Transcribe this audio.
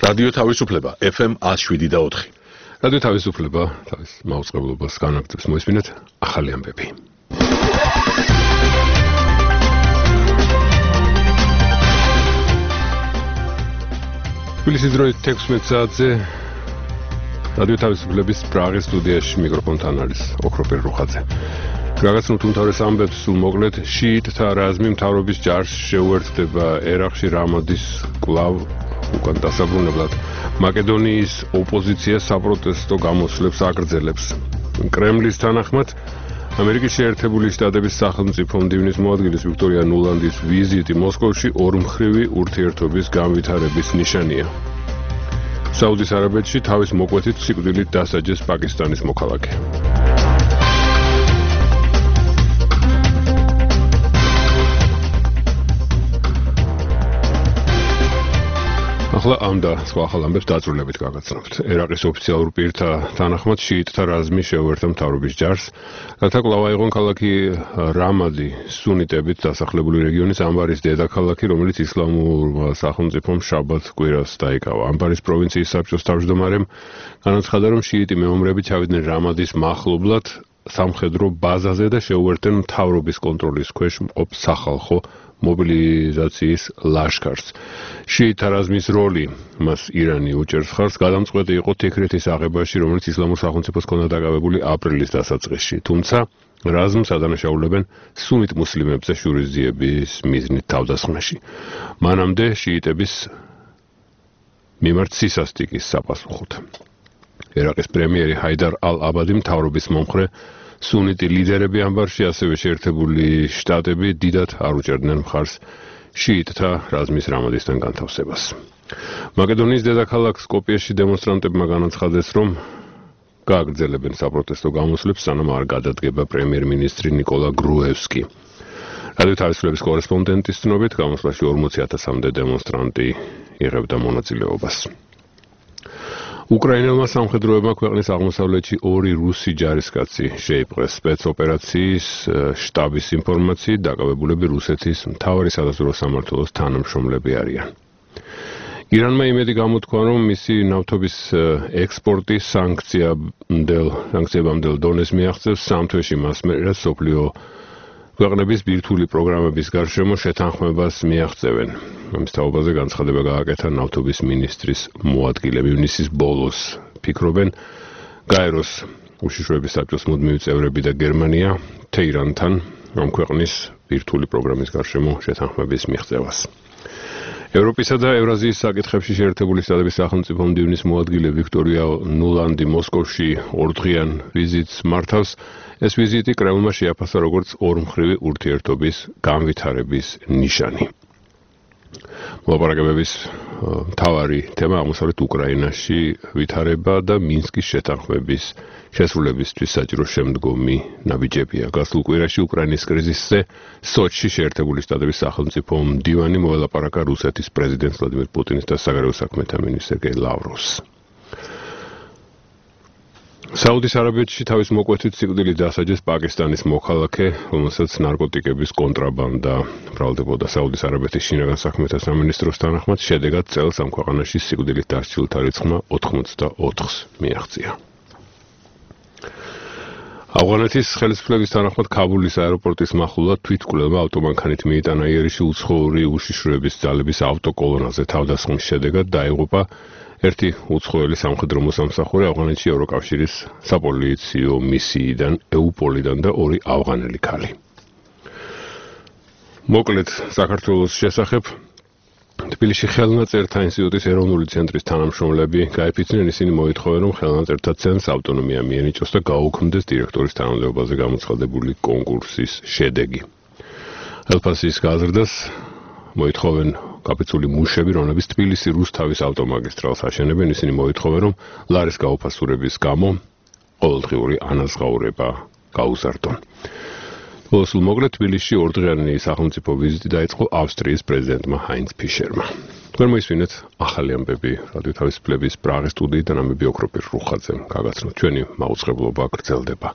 რადიო თავისუფლება FM 107.4. რადიო თავისუფლება თავის მაუწყებლობას განაგრძობს. მოისმინეთ ახალი ამბები. თბილისის დროით 16 საათზე რადიო თავისუფლების პრაღის სტუდიაში მიკროფონთან არის ოქროპერ რუხაძე. გაგაცნობთ უმთავრეს ამბებს სულ მოკლედ შიიტთა რაზმი მთავრობის ჯარს შეუერთდება ერაყში რამადის კვლავ უკან დასაბრუნებლად მაკედონიის ოპოზიცია საპროტესტო გამოსვლებს აგრძელებს. კრემლის თანახმად ამერიკის შეერთებული შტატების სახელმწიფო მდივნის მოადგილის ვიქტორია ნულანდის ვიზიტი მოსკოვში ორმხრივი ურთიერთობის განვითარების ნიშანია. საუდის არაბეთში თავის მოკვეთით სიკვდილით დასაჯეს პაკისტანის მოქალაქე. ახლა ამ და სხვა ახალ ამბებს დაწვრილებით გაგაცნობთ. ერაყის ოფიციალურ პირთა თანახმად შიიტთა რაზმი შეუერთდა მთავრობის ჯარს, რათა კვლავ აიღონ ქალაქი რამადი სუნიტებით დასახლებული რეგიონის ამბარის დედაქალაქი, რომელიც ისლამურმა სახელმწიფომ შაბათ კვირას დაიკავა. ამბარის პროვინციის საბჭოს თავმჯდომარემ განაცხადა, რომ შიიტი მეომრები ჩავიდნენ რამადის მახლობლად სამხედრო ბაზაზე და შეუერთდნენ მთავრობის კონტროლის ქვეშ მყოფ სახალხო მობილიზაციის ლაშქარს. შიიტთა რაზმის როლი მას ირანი უჭერს ხარს, გადამწყვეტი იყო თიქრეთის აღებაში, რომელიც ისლამურ სახელმწიფოს ჰქონდა დაკავებული აპრილის დასაწყისში. თუმცა რაზმს ადანაშაულებენ სუნით მუსლიმებზე შურისძიების მიზნით თავდასხმაში. მანამდე შიიტების მიმართ სისასტიკის საპასუხოდ. ერაყის პრემიერი ჰაიდარ ალ-აბადი მთავრობის მომხრე სუნიტი ლიდერები ამბარში, ასევე შეერთებული შტატები დიდად არ უჭერდნენ მხარს შიიტთა რაზმის რამადისთან განთავსებას. მაკედონიის დედაქალაქ სკოპიეში დემონსტრანტებმა განაცხადეს, რომ გააგრძელებენ საპროტესტო გამოსვლებს, სანამ არ გადადგება პრემიერ-მინისტრი ნიკოლა გრუევსკი. რადიო თავისუფლების კორესპონდენტის ცნობით, გამოსვლაში 40,000-მდე დემონსტრანტი იღებდა მონაწილეობას. უკრაინელმა სამხედროებმა ქვეყნის აღმოსავლეთში 2 რუსი ჯარისკაცი შეიპყრეს. სპეცოპერაციის შტაბის ინფორმაციით დაკავებულები რუსეთის მთავარი სადაზვერვო სამმართველოს თანამშრომლები არიან. ირანმა იმედი გამოთქვა, რომ მისი ნავთობის ექსპორტი სანქციებამდელ დონეს მიაღწევს 3 თვეში მას მერე, რაც მსოფლიო ქვეყნების ბირთვული პროგრამების გარშემო შეთანხმებას მიაღწევენ. ამის თაობაზე განცხადება გააკეთა ნავთობის მინისტრის მოადგილე. ივნისის ბოლოს ფიქრობენ გაეროს უშიშროების საბჭოს მუდმივი წევრები და გერმანია თეირანთან ამ ქვეყნის ბირთვული პროგრამის გარშემო შეთანხმების მიღწევას. ევროპისა და ევრაზიის საკითხებში შეერთებული შტატების სახელმწიფო მდივნის მოადგილე ვიქტორია ნულანდი მოსკოვში ორდღიან ვიზიტს მართავს. ეს ვიზიტი კრემლმა შეაფასა როგორც ორმხრივი ურთიერთობის განვითარების ნიშანი. მოლაპარაკებების მთავარი თემა აღმოსავლეთ უკრაინაში ვითარება და მინსკის შეთანხმების შესრულებისთვის საჭირო შემდგომი ნაბიჯებია. გასულ კვირაში უკრაინის კრიზისზე სოჩში შეერთებული შტატების სახელმწიფო მდივანი მოელაპარაკა რუსეთის პრეზიდენტ ვლადიმირ პუტინის და საგარეო საქმეთა მინისტრ სერგეი ლავროვს. საუდის არაბეთში თავის მოკვეთით სიკვდილით დასაჯეს პაკისტანის მოქალაქე, რომელსაც ნარკოტიკების კონტრაბანდა მრავლდებოდა. საუდის არაბეთის შინაგან საქმეთა სამინისტროს თანახმად შედეგად წელს ამ ქვეყანაში სიკვდილით დასჯილთა რიცხვმა 84-ს მიაღწია. ავღანეთის ხელისუფლების თანახმად ქაბულის აეროპორტის მახლობლად თვითმკვლელმა ავტომანქანით მიიტანა იერიში უცხოური უშიშროების ძალების ავტოკოლონაზე. თავდასხმის შედეგად დაიღუპა ერთი უცხოელი სამხედრო მოსამსახურე ავღანეთში ევროკავშირის საპოლიციო მისიიდან ეუპოლიდან და 2 ავღანელი ქალი. მოკლედ საქართველოს შესახებ თბილისში ხელნაწერთა ინსტიტუტის ეროვნული ცენტრის თანამშრომლები გაიფიცნენ, ისინი მოითხოვენ, რომ ხელნაწერთა ცენტრს ავტონომია მიენიჭოს და გაუქმდეს დირექტორის თანამდებობაზე გამოცხადებული კონკურსის შედეგი. ელფასის გაზრდას მოითხოვენ კაპიცული მუშები, რომლებიც თბილისი რუსთავის ავტომაგისტრალს აშენებენ. ისინი მოითხოვენ, რომ ლარის გაუფასურების გამო ყოველდღიური ანაზღაურება გაუზარდონ. სულ მოკლედ თბილისში ორდღიანი სახელმწიფო ვიზიტი დაიწყო ავსტრიის პრეზიდენტმა ჰაინც ფიშერმა. თქვენ მოისმინეთ ახალი ამბები რადიო თავისუფლების პრაღის სტუდიიდან, ამბები ოქროპერ რუხაძემ. გაგაცნობთ, ჩვენი მაუწყებლობა გრძელდება.